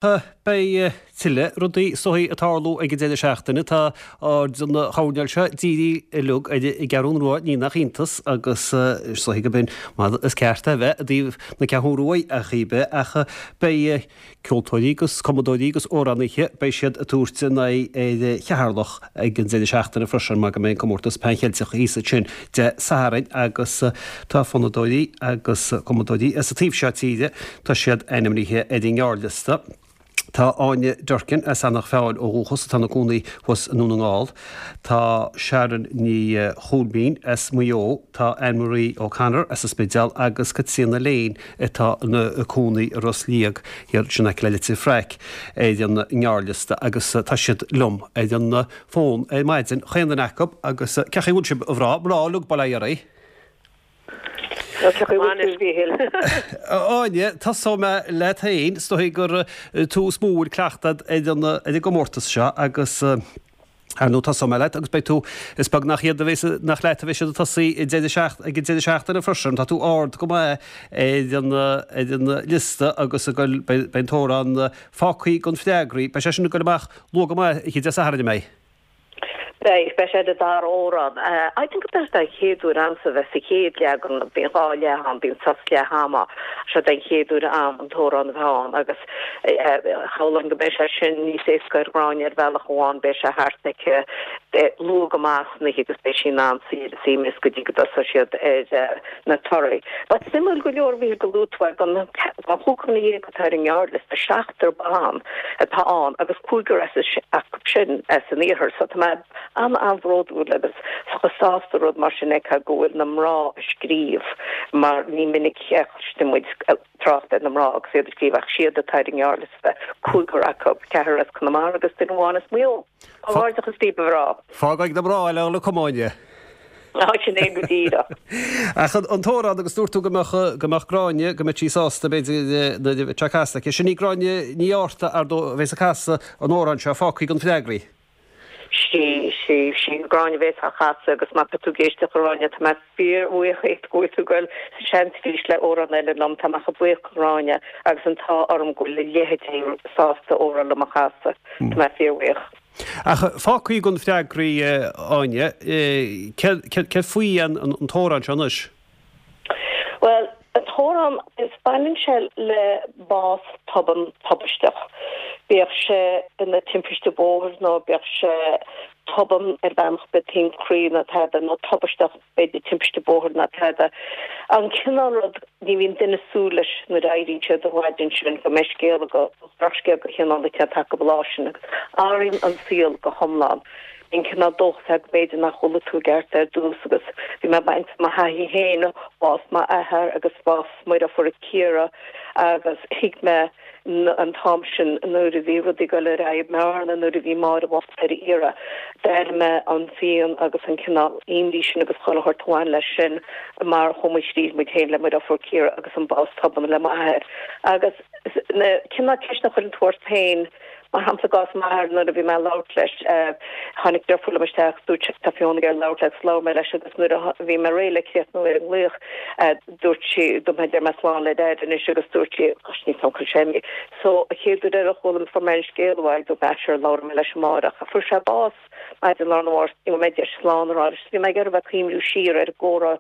Beidh tuilleadh rudaí is dóigh ag tarlú ag an deireadh seachtaine. Tá aird an choirnéil seo dírithe uilig ar an gCeathrún Rua, ní nach iontas, agus is dóigh go b'in mar is ceart é a bheith i dtaobh na Ceathrún Ruaidh ar chaoi ar bith, ach beidh ceoltóirí agus cumadóirí agus amhránaithe, beidh siad ag tabhairt a n-aghaidh ar Cheatharlach ag an deireadh seachtaine freisin mar go mbeidh an comórtas Pan Cheilteach thíos ansin Dé Sathairn agus tá fonnadóirí agus cumadóirí as an taobh seo tíre, tá siad ainmnithe ar an ngearrliosta. Tá Áine Durkin as Eanach Mheáin ó dhúchas atá ina cónaí thuas i nDún na nGall. Tá Sharon Ní Choilmín as Maigh Eo, tá Anne Marie O'Connor as an Spidéal agus Caitríona Lane atá ina cónaí i Ros Liag thiar in aice le Leitir Fraic ar an ngearrliosta agus tá siad liom ar an fón ar maidin, chaon duine acu agus cén chaoi a bhfuil sibh, a mhná, mná uilig, bail ó Dhia oraibh. Cén chaoi a bhfuil tú, a Mhíchíl? Áine, tosóidh mé leat féin, is dóigh gur tú is mó a bhfuil cleachtadh agat ar an ar an gcomórtas seo agus ar ndóigh tosóidh mé leat agus beidh tú, is beag nach iad a bheas, nach leat a bheidh siad ag tosaí ag deireadh seacht, ag an deireadh seachtaine freisin, tá tú ard go maith ar an ar an liosta agus ag goil, beidh an t-amhrán fágthaí gan freagraí, beidh sé sin ag goil amach Luath go maith oíche Dé Sathairn, an mbeidh? Beidh, beidh sé ar an dara amhrán. I think gurb é den chéad uair a'msa bheith sa chéad leagan, bíonn 2 leath ann, bíonn sos leath ama, seo den chéad uair a'm an t-amhrán a bheith ann agus shamhlóinn go mbeidh sé sin níos éasca ar Ghráinne ar bhealach amháin, beidh sé thart aici luath go maith san oíche agus beidh sí in ann suí ar a suaimhneas go dtí go dtosóidh siad ar na torthaí. But suimiúil go leor, a Mhíchíl, go luaigh tú é, den chúigear atá ar an ngearrliosta, seachtar ban atá ann agus cúigear acu sin as an iarthar. So tá mé an-an-bhródúil agus chomh sásta rud mar sin a fheiceáil go bhfuil na mná ag scríobh mar ní minic a chloisteann muid trácht ar na mná agus iad ag scríobh ach siad atá ar an ngearrliosta, cúigear acu, ceathrar as Conamara agus duine amháin as Maigh Eo. Comhghairdeachas daoibh, a mhná. Fágfaidh na mná eile le cumadh, Áine. Á, sin é go díreach. Ach an t-amhrán, agus dúirt tú go mbeadh, go mbeadh Gráinne, go mbeadh sí sásta, b'fhéidir, nuair a bheadh sé casta aici. Sin í Gráinne Ní Fhátharta, ar ndóigh, a bheas ag casadh an amhráin seo, fágthaí gan freagraí. Sí, sí, sí Gráinne a bheas á chasadh agus má tá tú ag éisteacht a Ghráinne, tá mé fíorbhuíoch díot go bhfuil tú ag goil sa seans arís le amhrán eile liom. Tá mé chomh buíoch do Ghráinne agus an t-ádh orm go bhfuil a leithéidí sásta amhrán liom a chasadh. Tá mé fíorbhuíoch. Ach fágthaí gan freagraí, Áine, céard faoi an t-amhrán seo anois? Bhuel, an t-amhrán, is baineann sé le bás tobann tubaisteach. Bíodh sé ina timpiste bóthair nó bíodh sé tobann ar bhealach ar bith, taom croí nó tada, nó tubaisteach, b'fhéidir timpiste bóthair nó tada. An cineál rud, ní bhíonn duine ag súil leis nuair a éiríonn siad an mhaidin sin go mbeidh scéal acu, drochscéal de chineál inteacht acu an lá sin agus athraíonn an saol go hiomlán. Bíonn cineál dóchas agat go mb'fhéidir nach bhfuil tú i gceart ar dtús agus bhí mé ag baint mo thaithí féin, bás m'athar agus bás mo dheirfiúr Ciara agus thuig mé an t-am sin nuair a bhí rudaí ag dul ar aghaidh i mBearna, nuair a bhí Máire bhocht ar a iarraidh, d'airigh mé an phian agus an cineál imní sin agus chuile shórt a bhain leis sin mar chuaigh muid thríd muid féin le mo dheirfiúr Ciara agus an bás tobann le m'athair. Agus na cineál ceisteanna a chuireann tú ort féin, mar shampla i gcás m'athar nuair a bhí mé ag labhairt leis, tháinig deirfiúr liom isteach agus dúirt sé tá Fiona ag iarraidh labhairt leat agus labhair mé leis agus nuair a bhí mé réidh le críochnú ar an nglaoch, Dúirt sí, dúirt mé deir mé slán le Daid anois agus dúirt sí, gosh níl 's a'm cá bhfuil sé imithe. So, an chéad uair eile a chuala mé fuair mé an scéal uaidh, dúirt mé ah sure labhróidh mé leis amárach. Fuair sé bás maidin lá arna mhárach, ní raibh mé deis slán a rá leis. Bhí mé ag iarraidh bheith ag cuimhniú siar ar an gcomhrá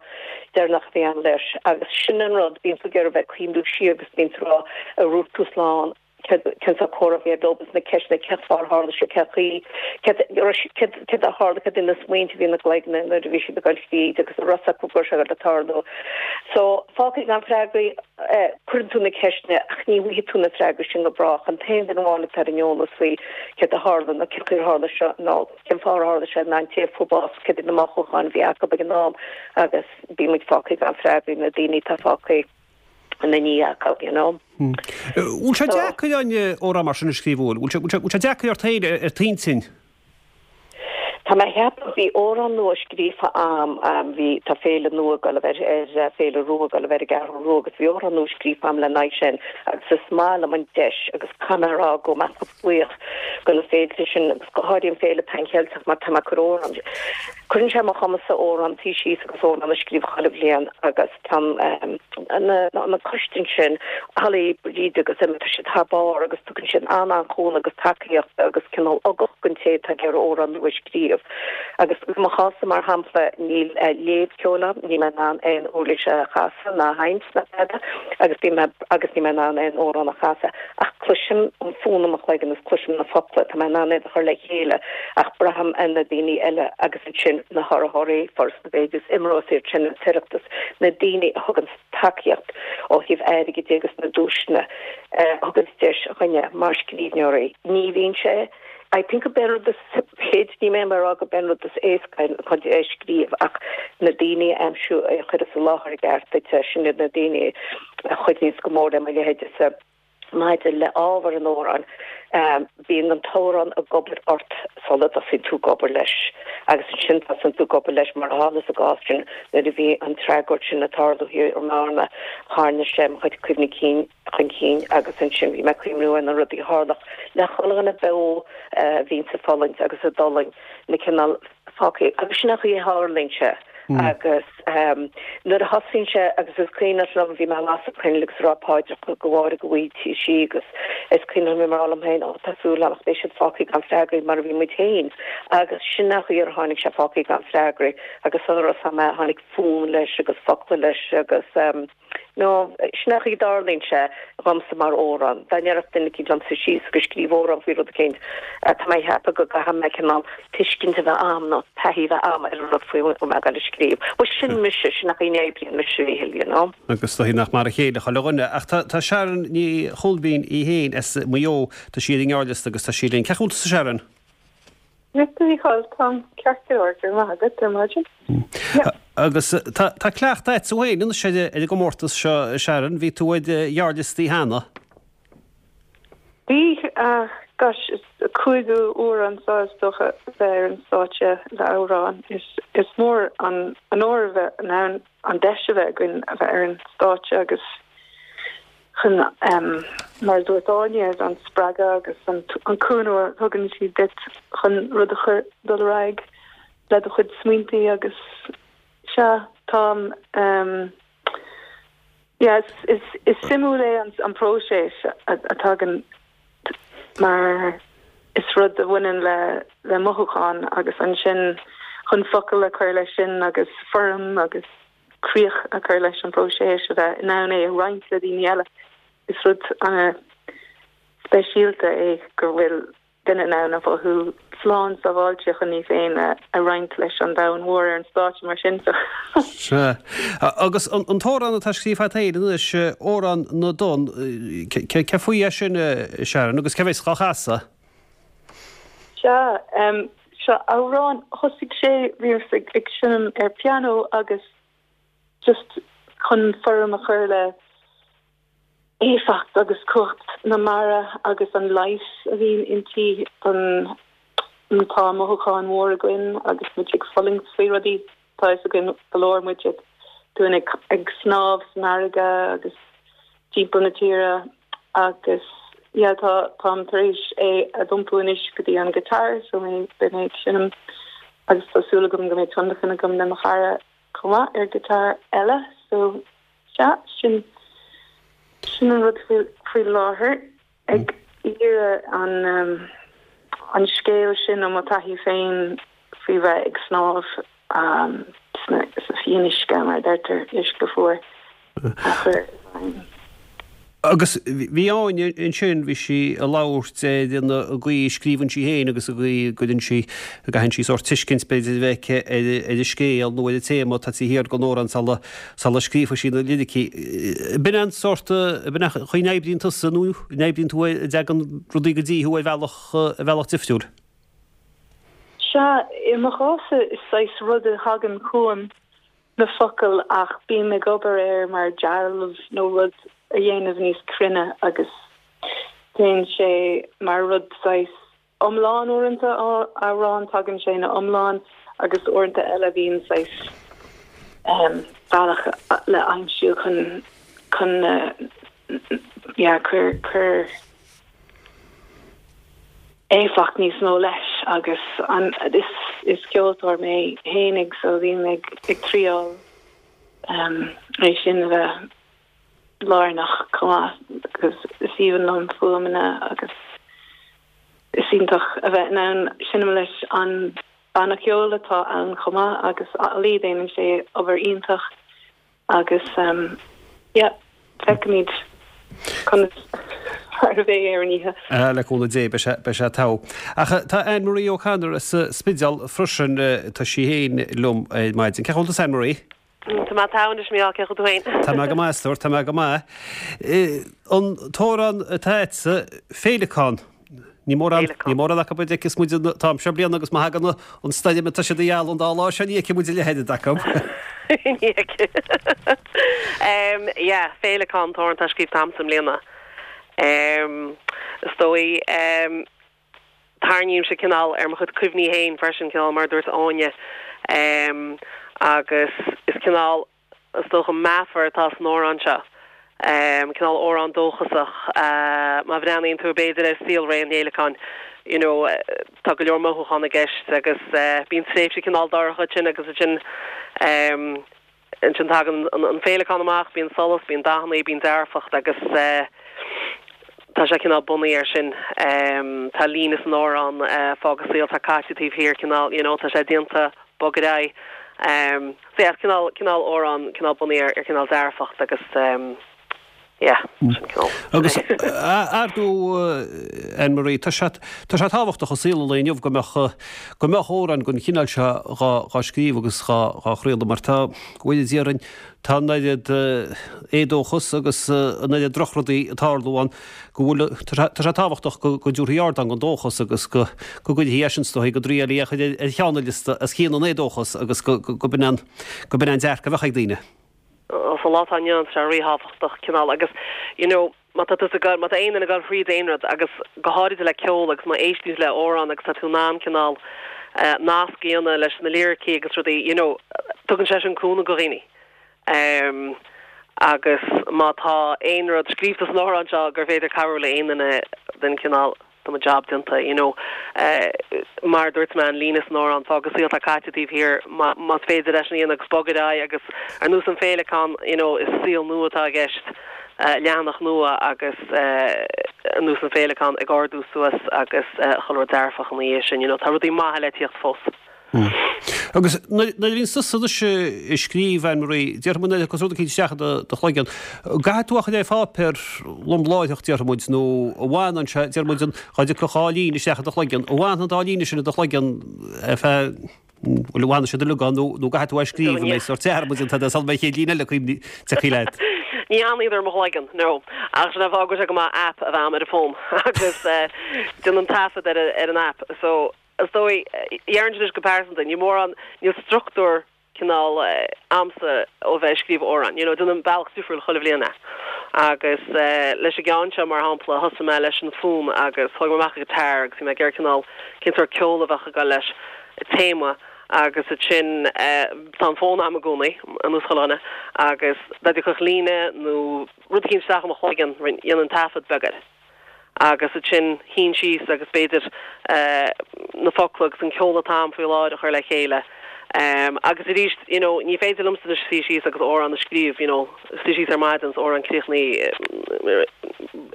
deireanach a bhí agam leis agus sin an rud, bíonn tú ag iarraidh bheith ag cuimhniú siar agus bíonn tú ag rá ar dhúirt tú slán. Cén sórt comhrá a bhí agat leo agus na ceisteanna, cén fáth ar tharla sé, cén chaoi, céard a tharla, céard iad na smaointe a bhí ina gcloigne nuair a bhí siad ag dul thríd agus an raibh a fhios acu go raibh sé ag dul ag tarlú. So, fágtha gan freagraí, cuireann tú na ceisteanna ach ní bhfaighidh tú na freagraí sin go brách. An t-aon duine amháin atá ar an eolas faoi céard a tharla nó cén chaoi ar tharla seo nó cén fáth ar tharla sé ná an té a fuair bás, céard iad na mothúcháin a bhí acu ag an am agus bíonn muid fágtha gan freagraí, na daoine atá fágtha. ina ndiaidh acu, you know. Bhfuil sé deacair amhrán mar sin a scríobh, bhfuil? Bhfuil sé deacair ort féin, ar t'intinn? Tá mé a cheapadh, bhí amhrán nua scríofa a'm, bhí, tá féile nua ag dul a bheith ar, Féile Rua ag dul a bheith ar an gCeathrú Rua agus bhí amhrán nua scríofa a'm le n-aghaidh sin agus is maith liom an deis agus caithfidh mé a rá go mbeadh buíoch. Do na féilte sin agus go háirithe an Féile Pan Cheilteach mar tá mé ag cur amhrán cuireann sé mo chumas-sa amhrán suí síos agus amhrán a scríobh chuile bhliain agus tá na na coistí ansin Holly, Bríd agus Emma tá siad thar barr agus tugann siad an-an-chúnamh agus tacaíocht agus cineál ugach don té atá ag iarraidh amhrán nua a scríobh. Agus i mo chás-sa mar shampla níl léamh ceoil agam, níl mé in ann aon uirlis a chasadh ná a sheinnt ná tada agus bím agus níl mé in ann aon amhrán a chasadh ach cloisim an fonn i mo chloigeann is cloisim na focla, tá mé in ann iad a chur le chéile ach braithim ar na daoine eile agus ansin na hurraitheoirí, Foras na Béaloideas, IMRO is iad sin an tOireachtas, na daoine a thugann tacaíocht ó thaobh airgid de agus na duaiseanna a thugann deis do dhuine mar scríbhneoirí. Ní bhíonn sé I think go b'é an rud is b'fhéidir níl mé ag rá go b'é an rud is éasca chun é a scríobh ach na daoine a aimsiú a chuireas i láthair i gceart duit sin iad na daoine a chuidíonns go mór le mo leithéidese. Maidir le ábhar an amhráin, bíonn an t-amhrán ag obair ort sula dtosaíonn tú ag obair leis agus ansin tosaíonn tú ag obair leis mar a tharla sa gcás sin nuair a bhí an tragóid sin ag tarlú thiar i mBearna, tharna sé mo chuid cuimhní cinn chun cinn agus ansin bhí mé ag cuimhniú ar na rudaí a tharlódh le chuile dhuine beo a bhíonns ag fulaingt agus a d'fhulaing na cineál fágtha agus sin an chaoi a tharlaíonn sé agus nuair a thosaíonn sé agus is cuimhneach liom bhí mé ag lasadh coinnle agus ag rá paidreacha do Mháire go bhfaightí sí agus is cuimhneach liom ag rá liom féin ó tá súil agam ach beidh siad fágtha gan freagraí mar a bhí muid féin agus sin an chaoi ar tháinig sé fágtha gan freagraí agus sula raibh a fhios agam tháinig fonn leis agus focla leis agus No, sin an chaoi a dtarlaíonn sé dhomsa mar amhrán. Dá ndéarfadh duine eicínt liom suí síos agus scríobh amhrán faoi rud eicínt, tá mé ag ceapadh go gcaithfidh mé cineál tuiscint a bheith a'm nó taithí a bheith a'm ar an rud faoi a bhfuil mé ag dul a scríobh. Bhuel, sin mise, sin an chaoi a n-oibríonn mise, a Mhíchíl, you know. Agus is dóigh nach mar a chéile chuile dhuine. Ach tá, tá Sharon Ní Choilmín í féin as Maigh Eo, tá sí ar an ngearrliosta agus tá sí linn. Cén chaoi a bhfuil tusa Sharon? Maith thú, a Mhíchíl, táim ceart go leor, go raibh maith agat, ar maidin. Yeah. Agus tá, tá cleachtadh agat féin anois ar, ar an gcomórtas seo, Sharon, bhí tú ar ghearrliostaí cheana. Bhí, gosh, is cúigiú uair anseo is dócha bheith ar an stáitse le amhrán. Is, is mór an onóir a bheith in ann an deis a bheith againn a bheith ar an stáitse agus chun, mar a dúirt Áine, an spreagadh agus an cúnamh a thugann siad duit chun rud a chur dul ar aghaidh le do chuid smaointe agus sea, táim, yeah, is is suimiúil é an próiseas a tagann mar is rud a bhaineann le le mothúchán agus ansin chun focail a chur leis sin agus foirm agus críoch a chur leis an bpróiseas, a bheith in ann é a roinnt le daoine eile. Is rud an-speisialta é go bhfuil duine in ann a mhothú slán sábháilte chun í féin a roinnt leis an domhan mhór ar an stáitse mar sin. Sea. Agus an t-amhrán atá scríofa agat féin anois, Amhrán na dTonn, cé faoi é sin, Sharon, agus cé bheas dhá chasadh? Sea, seo amhrán, thosaigh sé, bhíos ag seinm ar pianó agus just chun foirm a chur le éifeacht agus cumhacht na mara agus an leigheas a bhíonn inti don tá mothúcháin mhór againn agus muid ag fulaingt faoi rudaí. Tá fhios againn go leor muid ag dúinn ag ag snámh san fharraige agus timpeall na tíre agus yeah tá táim tar éis é a d'iompú anois go dtí an guitar so mé beidh mé ag seinm agus tá súil agam go mbeidh tionlacan agam le mo chara chomh maith ar guitar eile so sea sin sin an rud faoi faoi láthair. Ag iarraidh an an scéal sin ó mo taithí féin faoi bheith ag snámh sna sa fionnuisce, mar a deirtear, uisce fuar, a chur i bhfeidhm. Agus bhí Áine ansin, bhí sí ag labhairt ar an gcaoi a scríobhann sí féin agus an gcaoi a gcuireann sí, a gcaitheann sí sórt tuiscint b'fhéidir a bheith aici ar an scéal nó ar an téama atá taobh thiar den amhrán sula Sula scríobhfaidh sí na liricí. B'in an sórt, b'in an chaoi a n-oibríonn tusa nó an oibríonn tú, an dtagann rudaí go dtí thú ar bhealach, ar bhealach difriúil? Sea, i mo chás-sa is saghas rud a thagann chugam, na focail, ach bím ag obair air mar dealbh nó rud a dhéanamh níos cruinne agus téann sé mar rud saghas iomlán uaireanta, amhrán, tagann sé ina iomlán agus uaireanta eile bíonn saghas bealach le aimsiú chun chun yeah cuir cuir. Éifeacht níos mó leis agus an is is ceoltóir mé fhéinig so bím ag ag triáil é sin a bheith lárnach chomh maith agus is aoibhinn liom fuaimeanna agus is iontach a bheith in ann seinm leis an banna ceoil atá ann chomh maith agus Ollie déanann sé obair iontach Agus yeah, feicfimid conas mar a bheidh ar an oíche. Ah, le cúnamh Dé, beidh sé, beidh sé togha. Ach tá Anne Marie O'Connor as an Spidéal freisin, tá sí féin liom ar maidin. Cén chaoi a bhfuil tusa Anne Marie? Tá mé togha anois, Mícheál, cén chaoi tú féin? Tá mé go maith, a stór, tá mé go maith. An t-amhrán atá agatsa, Féileacán. Ní mórán, ní mórán acu a d'fheiceas muid an t-am seo bliana agus má thagann an stoirm atá siad a ghealladh an dá lá seo ní fheicfidh muid a leithéid acu. Ní fheicfidh. Yeah, Féileacán an t-amhrán atá scríobhta a'msa i mbliana. Is dóigh, tarraingímse cineál ar mo chuid cuimhní féin freisin, cineál mar a dúirt Áine, agus is cineál, Is dócha meafar atá san amhrán seo, cineál amhrán dóchasach. Má bhreathnaíonn tú b'fhéidir ar saolré an fhéileacáin, you know, tá go leor mothúchán i gceist agus bíonn tréimhse cineál dorcha ansin agus ansin ansin tagann an féileacán amach, bíonn solas, bíonn dathanna, bíonn dearfacht agus tá sé cineál bunaithe air sin. Tá líne san amhrán, fág an saol atá caite taobh thiar, cineál, you know, tá sé déanta, bog ar aghaidh. So yeah, is cineál, cineál amhrán, cineál bunaithe ar, ar cineál dearfacht agus yeah, sin cineál. Agus ar ndóigh, Anne Marie, tá sé, tá sé tábhachtach i saol an lae inniu go mbeadh, go mbeadh amhráin den chineál seo dhá, dhá scríobh agus dhá, dhá chraoladh mar tá, go bhfóire Dia orainn, tá an oiread éadóchas agus an oiread drochrudaí ag tarlú ann go bhfuil, tá sé tábhachtach go dtabharfaí ardán don dóchas agus go gcuirfí eisean is dóigh, go dtriailfí é a chur ar cheann an liosta os cionn an éadóchas agus go b'in an, go b'in an dearcadh a bheadh ag daoine. Sa lá atá inniu ann tá sé ríthábhachtach cineál agus you know má tá tusa ag goil, má tá aon duine ag goil thríd aon rud agus go háirithe le ceol agus má éisteann tú le amhrán agus tá tú in ann cineál nasc a dhéanamh leis na liricí agus rudaí you know tugann sé sin cúnamh go dhaoine. Agus má tá aon rud scríobhta san amhrán seo gur féidir cabhrú le aon duine den chineál, tá mo job déanta, you know. Mar a dúirt mé, an líne san amhrán, fág an saol atá caite taobh thiar, más féidir leis an a dhéanamh agus bog ar aghaidh agus ar nós an féileacán, you know, is saol nua atá i gceist, leathanach nua agus ar nós an féileacán ag ardú suas agus chuile rud dearfach ina dhiaidh sin, you know, tá rudaí maithe le tíocht fós. Agus nuair a bhíonn tusa anois ag scríobh, Anne Marie, déarfaidh muid nuair a thiocfas rud eicínt isteach i do chloigeann, an gcaithfidh tú a chur ar pháipéar lom láithreach, déarfaidh muid, nó an bhfanann sé, déarfaidh muid, an dá dtiocfadh dhá líne isteach i do chloigeann, an bhfanann an dá líne sin i do chloigeann ar feadh, bhuel, an bhfanann siad uilig ann nó nó an gcaithfidh tú é a scríobh, an mbeidh sórt dearmad déanta sula mbeidh an chéad líne eile cuimhne tagtha leat? Ní fhanann siad i mo chloigeann, no. Ach sin an fáth go bhfuil sé go maith app a bheith a'm ar an bhfón agus déanaim taifead ar ar an app so Is dóigh, déarfainnse anois go pearsanta, níl mórán, níl struchtúr cineál a'msa ó bheith ag scríobh amhrán, you know, déanaim bealach difriúil chuile bhliain é. Agus leis an gceann seo, mar shampla, thosaigh mé leis an fonn agus thóg mé amach an guitar agus bhí mé ag iarraidh cineál cén sórt ceol a bheadh ag dul leis, téama, agus ansin tá an fón a'm i gcónaí, ar nós chuile dhuine, agus dá dtiocfadh líne nó rud eicínt isteach i mo chloigeann, dhéanainn taifead beag air. agus ansin shuínn síos agus b'fhéidir na focla agus an ceol atá a'm faoi láthair a chur le chéile. Agus arís, you know, ní féidir liomsa anois suí síos agus amhrán a scríobh, you know, suí síos ar maidin is amhrán críochnaithe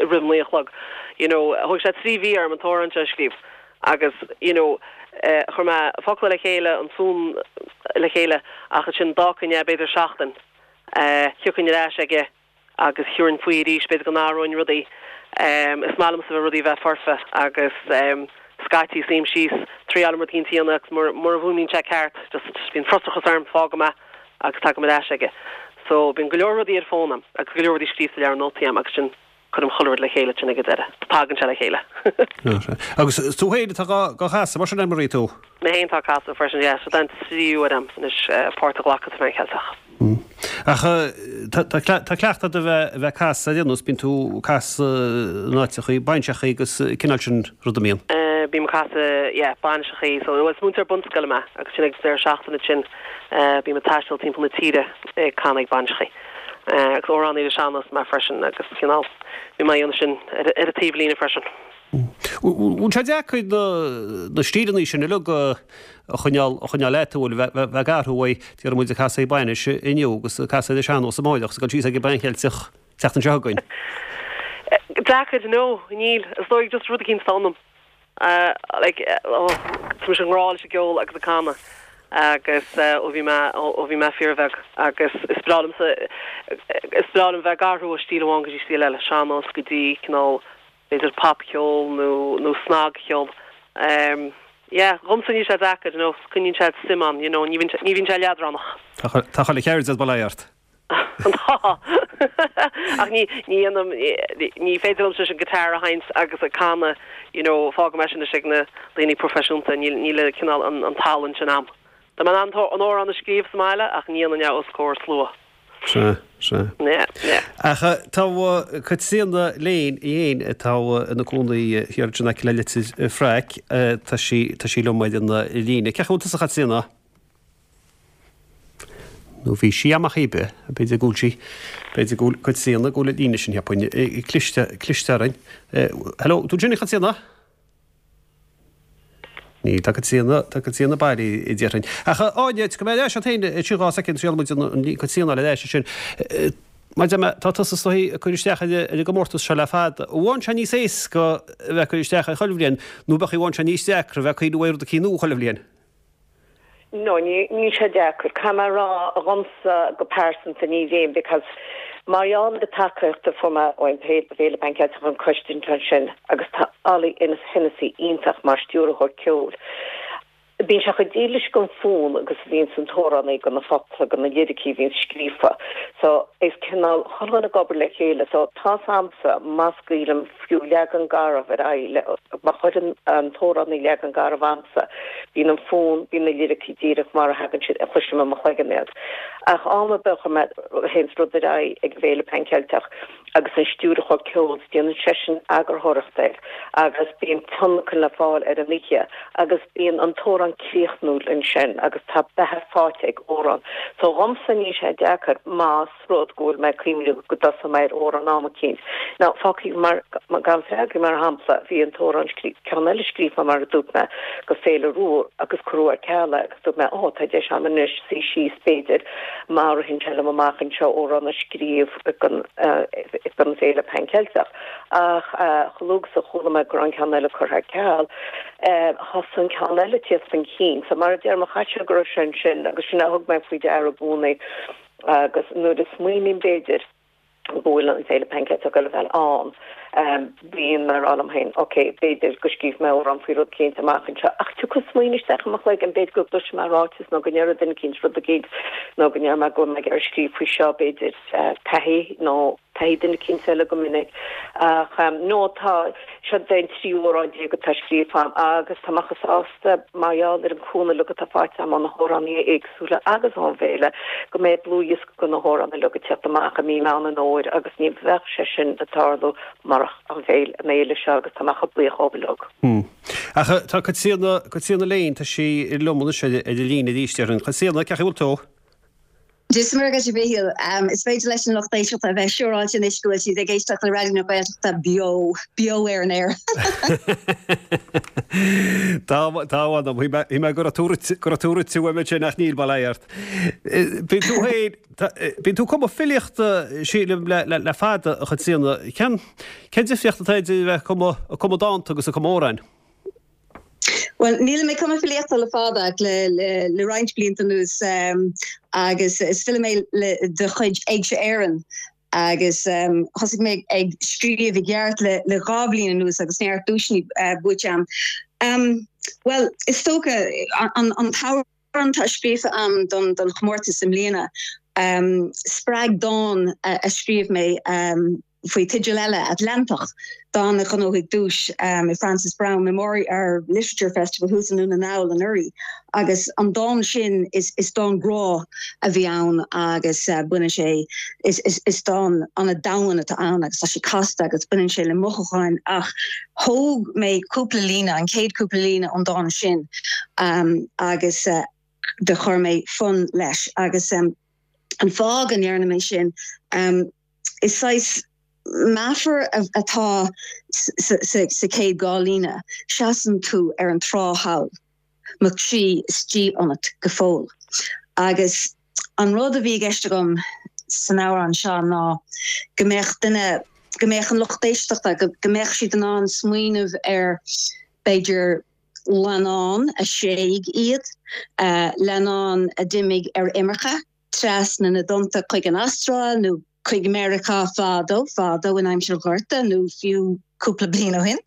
roimh a naoi a chlog. You know, thóg sé 3 mhí orm an t-amhrán seo a scríobh agus, you know, chuir mé focla le chéile, an fonn le chéile ach ansin d'fhágfainn é b'fhéidir seachtain, thiocfainn ar ais aige agus thabharfainn faoi arís, b'fhéidir go n-athróinn rudaí. Is maith liomsa bheith rudaí a bheith foirfe agus scaití suím síos, triailim rud eicínt a dhéanamh agus mura bhfuaimníonn sé ceart, just bíonn frustrachas orm, fágaim é agus tagaim ar ais aige. So bíonn go leor rudaí ar fón a'm agus go leor rudaí scríofa i leabhar nótaí a'm agus sin cuirim chuile rud le chéile ansin ag an deireadh. Tagann sé le chéile. Agus is tú féin atá dhá chasadh, mar sin Anne Marie tú? Mé féin atá ag casadh freisin, yeah, so den tríú huair a'm anois páirt a ghlacadh sa Mheán Cheilteach. Ach tá cleachtadh agat a bheith ag casadh ar aon nós, bíonn tú ag casadh in áiteachaí, bainiseachaí agus cineál sin ruda, an mbíonn? Bím ag casadh, yeah, bainiseachaí, so bhuel is múinteoir bunscoile mé agus sin ag deireadh seachtaine ansin bím ag taisteal timpeall na tíre ag canadh ag bainiseachaí. Agus amhránaí ar an sean-nós mé freisin agus cineál bím á dhéanamh sin ar an taobhlíne freisin. Bhfuil sé deacair na stíleanna sin uilig a choinneáil a choinneáil leat, an bhfuil, bheith ag athrú uaidh, déarfaidh muid ag casadh ag bainis inniu agus ag casadh ar an sean-nós amáireach agus ag dul síos ag an bPan Cheilteach tseachtain seo chugainn? Deacair, no, níl. Is dóigh just rud eicínt atá ionam. Like, oh, tá mise i ngrá leis an gceol agus ag canadh agus ó bhí mé, ó bhí mé fíorbheag agus is breá liomsa, is breá liom bheith ag athrú ó stíl amháin go dtí stíl eile, sean-nós go dtí cineál b'fhéidir popcheol nó, nó snagcheol. Yeah, dhomsa níl sé deacair, you know, coinníonn sé suim ann, you know, ní bhíonn sé, ní bhíonn sé leadránach. Tá chuile cheird as bail ort. Tá. Ach ní, ní dhéanaim, ní féidir liomsa an guitar a sheinnt agus ag canadh, you know, fágfaidh mé sin anois ag na daoine proifisiúnta, níl, níl an cineál, an, an tallann sin a'm. Tá mé in ann an amhrán a scríobh sa mbaile ach ní dhéanfainn é os comhair slua. Sea, sea. Yeah, yeah. Ach tá Caitríona Lane í fhéin atá ina cónaí thiar in aice le Leitir Fraic, tá sí, tá sí liom ar an líne. Cén chaoi a bhfuil tusa a Chaitríona? Nó bhí sí amach oibre, b'fhéidir go bhfuil sí, b'fhéidir go bhfuil Caitríona, go bhfuil an líne sin, cheapfainn, cliste, cliste orainn. Hello, tú ansin a Chaitríona? Níl, tá Caitríona, tá Caitríona bailithe, déarfainn. Ach Áine, tiocfaidh mé ar ais agat féin, sin 2 soicind, triailfidh muid an Caitríona a fháil ar ais ansin. Mar a deir mé, tá tusa is dóigh ag cur isteach ar an gcomórtas seo le fada. An bhfaigheann sé níos éasca a bheith ag cur isteach air chuile bhliain, nó b'fhéidir an bhfaigheann sé níos deacra a bheith ag cuimhneamh ar rud eicínt nua chuile bhliain? No, níl sé deacair. Caithfidh mé a rá, dhomsa go pearsanta ní bhíonn because mar gheall ar an tacaíocht a fuair mé ón bhFéile Pan Ceilteach an coiste ansin agus tá Ollie Hennessy iontach mar stiúrthóir ceoil. Bíonn sé chomh dílis don fonn agus a bhíonns an t-amhránaí do na focla, do na liricí a bhíonns scríofa. So is cineál chuile dhuine ag obair le chéile. So tá's a'msa má scaoilim fiú leagan garbh ar aghaidh le, má chuireann an t-amhránaí leagan garbh a'msa, bíonn an fonn, bíonn na liricí díreach mar a thagann siad, a chloisim i mo chloigeann iad. Ach am ar bith a chuir mé, théanns rud ar aghaidh ag an bhFéile Pan Ceilteach agus an stiúrthóir ceoil, déanann seisean eagarthóireacht air agus bíonn tionlacan le fáil ar an oíche agus bíonn an t-amhrán críochnúil ansin agus tá beatha faighte ag amhrán. So dhomsa níl sé deacair más rud go bhfuil mé ag cuimhneamh go dtosóidh mé ar amhrán am eicínt. Now, fágfaidh mar, gan freagra, mar shampla, bhí an t-amhrán scríofa, ceann eile scríofa mar a dúirt mé, go Féile Rua agus cuireadh ar ceal é agus dúirt mé, ó, tá deis agam anois suí síos b'fhéidir má ritheann sé liom amach anseo amhrán a scríobh don, don Féile Pan Ceilteach. Ach chomh luath is a chuala mé go raibh an ceann eile curtha ar ceal, thosaigh an ceann eile ag tíocht chun cinn. So mar a deirim, chaithfidh sé go raibh sé ansin agus sin a thug mé faoi deara i gcónaí. Agus nuair a smaoiním, b'fhéidir, go bhfuil an Féile Pan Ceilteach ag dul a bheith ann, bíonn mé ag rá liom féin, ok, b'fhéidir go scríobhfaidh mé amhrán faoi rud eicínt amach anseo, ach tiocfaidh smaoineamh isteach i mo chloigeann, b'fhéidir go gcloisfidh mé ráiteas nó go ndéarfaidh duine eicínt rud eicínt nó go ndéarfaidh mé go bhfuil mé ag iarraidh scríobh faoi seo, b'fhéidir taithí nó taithí duine eicínt eile go minic. Ach no, tá, seo é an tríú amhrán déag atá scríofa agam agus tá mé chomh sásta mar gheall ar an cúnamh uilig atá faighte agam ó na hamhránaithe éagsúla agus ón bhféile go mbeidh dlúthdhiosca de na hamhráin uilig ag teacht amach i mí Meán an Fhómhair agus ní bheadh sé sin ag tarlú murach an bhféile, an fhéile seo agus tá mé chomh buíoch dhóibh uilig. Ach tá Caitríona, Caitríona Lane, tá sí liom anois ar an líne arís, déarfainn. Caitríona, cén chaoi a bhfuil tú? Dia is Muire dhuit a Mhichíl. Is féidir leis an lucht éisteachta a bheith siúráilte anois go bhfuil siad ag éisteacht le Raidió na Gaeltachta beo, beo ar an aer. Tá, tá, mh'anam. Shíl mé go raibh tú rite, go raibh tú rite uaim ansin ach níl, bail ó Dhia ort. Bíonn tú féin, bíonn tú ag cumadh filíochta, sílim, le, le, le fada, a Chaitríona. Cén, cén difríocht atá idir a bheith ag cumadh, ag cumadh dánta agus ag cumadh amhráin? Bhuel, nílim ag cumadh filíochta le fada ach le roinnt blianta anuas agus is file mé de chuid Éigse Éireann agus thosaigh mé ag scríobh i gceart le 2 bhliain anuas agus neart duaiseanna buaite agam. Bhuel, is dócha an t-amhrán atá scríofa agam don chomórtas i mbliana, spreag dán a scríobh mé, faoi teideal eile, Atlantach, dán a ghnóthaigh duais i Frances Browne Memorial Literature Festival thuas i nDún na nGall anuraidh. Agus an dán sin, is dán grá a bhí ann agus baineann sé, is dán an-domhain atá ann agus tá sé casta agus baineann sé le mothúcháin ach thóg mé cúpla líne, an chéad cúpla líne ón dán sin agus do chuir mé fonn leis agus an fáth go ndearna mé sin, Is saghas. meafar atá sa chéad dá líne, seasann tú ar an trá thall, mo chroí istigh ionat go fóill. Agus an rud a bhí i gceist agam san amhrán seo ná go mbeadh duine, go mbeadh an lucht éisteachta, go mbeadh siad in ann smaoineamh ar b'fhéidir leannán a thréig iad, leannán a d'imigh ar imirce trasna na dtonnta chuig an Astráil nó chuig Meiriceá fadó, fadó in aimsir an Ghorta nó fiú cúpla bliain ó shin,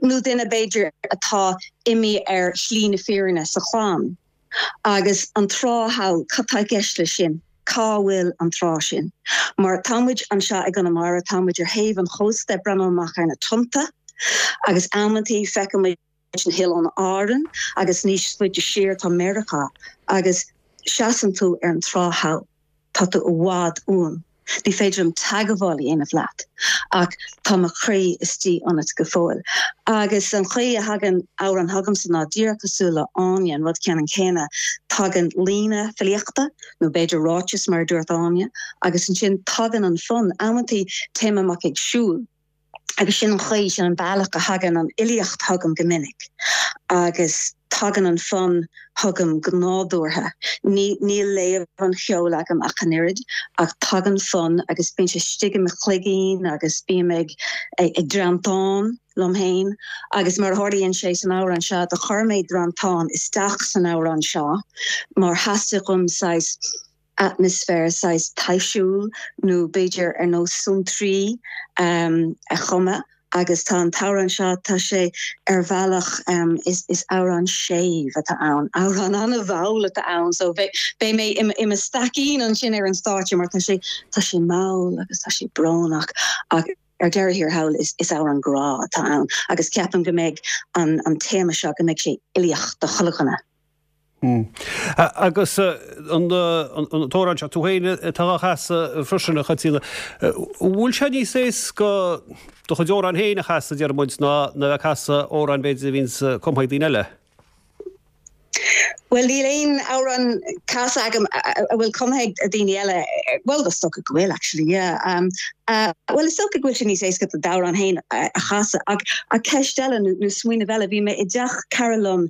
nó duine b'fhéidir atá imithe ar shlí na fírinne sa chlann. Agus an trá thall, cad tá i gceist leis sin? Cá bhfuil an trá sin? Mar tá muid anseo i gConamara, tá muid ar thaobh an chósta ag breathnú amach ar na tonnta agus amantaí feiceann muid na hOileáin Árann agus níos faide siar tá Meiriceá agus seasann tú ar an trá thall. Tá tú i bhfad uaim. Ní féidir liom teagmháil a dhéanamh leat, ach tá mo chroí istigh ionat go fóill. Agus an chaoi a thagann amhrán chugamsa ná díreach cosúil le Áine, an rud ceannann céanna, tagann líne filíochta, nó b'fhéidir ráiteas mar a dúirt Áine, agus ansin tagann an fonn. Amantaí téim amach ag siúl. Agus sin an chaoi, sin an bealach a thagann an fhilíocht chugam go minic agus tagann an fonn chugam go nádúrtha. Ní, níl léamh an cheoil agam ach an oiread, ach tagann fonn agus bíonn sé istigh i mo chloigeann agus bím ag, ag, ag drantán liom féin agus mar a tharlaíonn sé san amhrán seo, do chuir mé drantán isteach san amhrán seo mar theastaigh uaim saghas, atmaisféar saghas taibhsiúil nó b'fhéidir ar nós suantraí a chumadh agus tá an t-amhrán seo, tá sé ar bhealach, is amhrán séimh atá ann, amhrán an-mhall atá ann so beidh mé i mo staicín ansin ar an stáitse mar tá sé, tá sé mall agus tá sé brónach ach ar deireadh thiar thall is amhrán grá atá ann agus ceapaim go mbeidh an téama seo, go mbeidh sé uilíoch do chuile dhuine. Agus an t-amhrán seo, tú féin atá á chasadh freisin, a Chaitríona. An bhfuil sé níos éasca do chuid amhrán féin a chasadh, deir muid, ná a bheith ag casadh amhráin b'fhéidir a bhíonns cumtha ag daoine eile? Bhuel, níl aon amhrán casta agam a bhfuil cumtha ag daoine eile. Bhuel, is dócha go bhfuil, actually, yeah. Bhuel, is dócha go bhfuil sé níos éasca d'amhrán féin a chasadh. Ach ach ceist eile nó nó smaoineamh eile, bhí mé i dteach cara liom,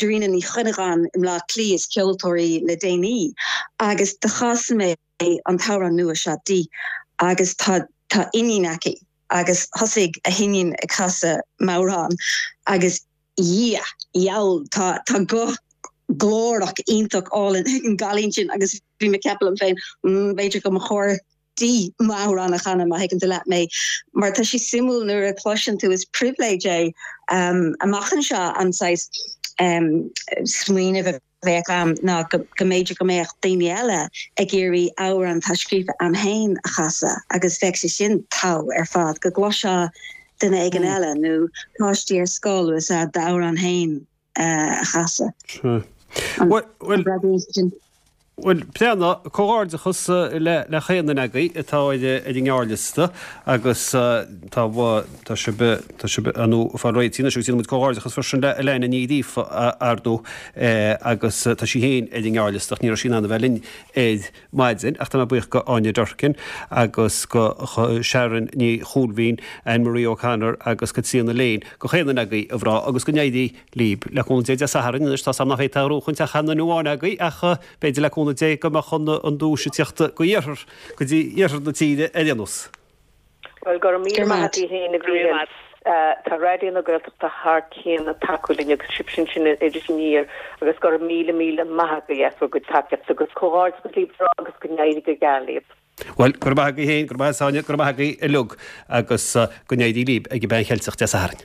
Darina Ní Chuinneagáin i mBleá Cliath, is ceoltóir í le déanaí, agus do chas mé an t-amhrán nua seo di agus tá tá iníon aici agus thosaigh a hiníon ag casadh m'amhrán agus Dhia, dheabhail, tá tá guth glórach iontach álainn ag an gcailín sin agus bhí mé ag ceapadh liom féin, mm, b'fhéidir go mba chóir di m'amhrán a chanadh, má thuigeann tú leat mé. Mar tá sé suimiúil nuair a chloiseann tú, is pribhléid é amach anseo an saghas smaoineamh a bheadh a'm ná go mb'fhéidir go mbeadh daoine eile ag iarraidh amhrán atá scríofa a'm féin a chasadh agus bheadh sé sin togha ar fad, go gcloisfeá duine éigin eile nó páistí ar scoil is ea d'amhrán féin a chasadh. Sea. Bhuel, bhuel, Breandán, comhghairdeachas le chaon duine agaibh atá ar an ngearrliosta agus tá, tá sibh, tá sibh ar ndóigh ag fáil réitithe anois agus déanann muid comhghairdeachas freisin le Elaine Ní Ghríofa ar ndóigh agus tá sí féin ar an ngearrliosta ach ní raibh sí in ann a bheith linn ar maidin ach tá mé buíoch go Áine Durkin agus go Sharon Ní Chúilfhionn, Anne Marie O'Connor agus Caitríona Lane, go chaon duine agaibh a mhná agus go n-éirí Libh. Le cúnamh Dé Dé Sathairn anois, tá's a'm nach bhféadfá gnóchaint ach aon duine amháin agaibh ach b'fhéidir le cúnamh Dé go mbeadh an duais ag tíocht go iarthar, go dtí iarthar na tíre ar aon nós. Bhuel, go raibh míle maith agat féin a Mhíchíl. Tá Raidió na Gaeltachta thar cionn ag tacú linn agus sibhse ansin in Iris Aniar agus go raibh míle míle maith agaibh as bhur gcuid tacaíochta agus comhghairdeachas libh agus go n-éirí go geal libh. Bhuel, go raibh maith agaibh féin, go raibh maith agat Áine, go raibh maith agaibh uilig agus go n-éirí libh ag an bPean Cheilteach Dé Sathairn.